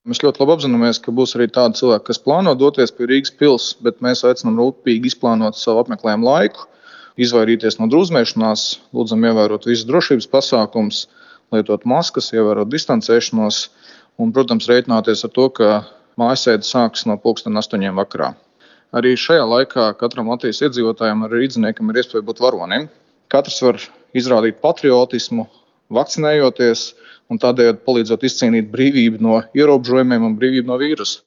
Mēs ļoti labi apzināmies, ka būs arī tādi cilvēki, kas plāno doties pie Rīgas pils, bet mēs aicinām rūpīgi izplānot savu apmeklējumu laiku, izvairīties no drūzmēšanās, lūdzam ievērot visus drošības pasākumus, lietot maskas, ievērot distancēšanos un, protams, rēķināties ar to, ka mājasēde sākas no 8:00 vakarā. Arī šajā laikā katram Latvijas iedzīvotājam, arī rīdziniekam, ir iespēja būt varonim. Katrs var izrādīt patriotismu, vakcinējoties un tādējādi palīdzot izcīnīt brīvību no ierobežojumiem un brīvību no vīrusa.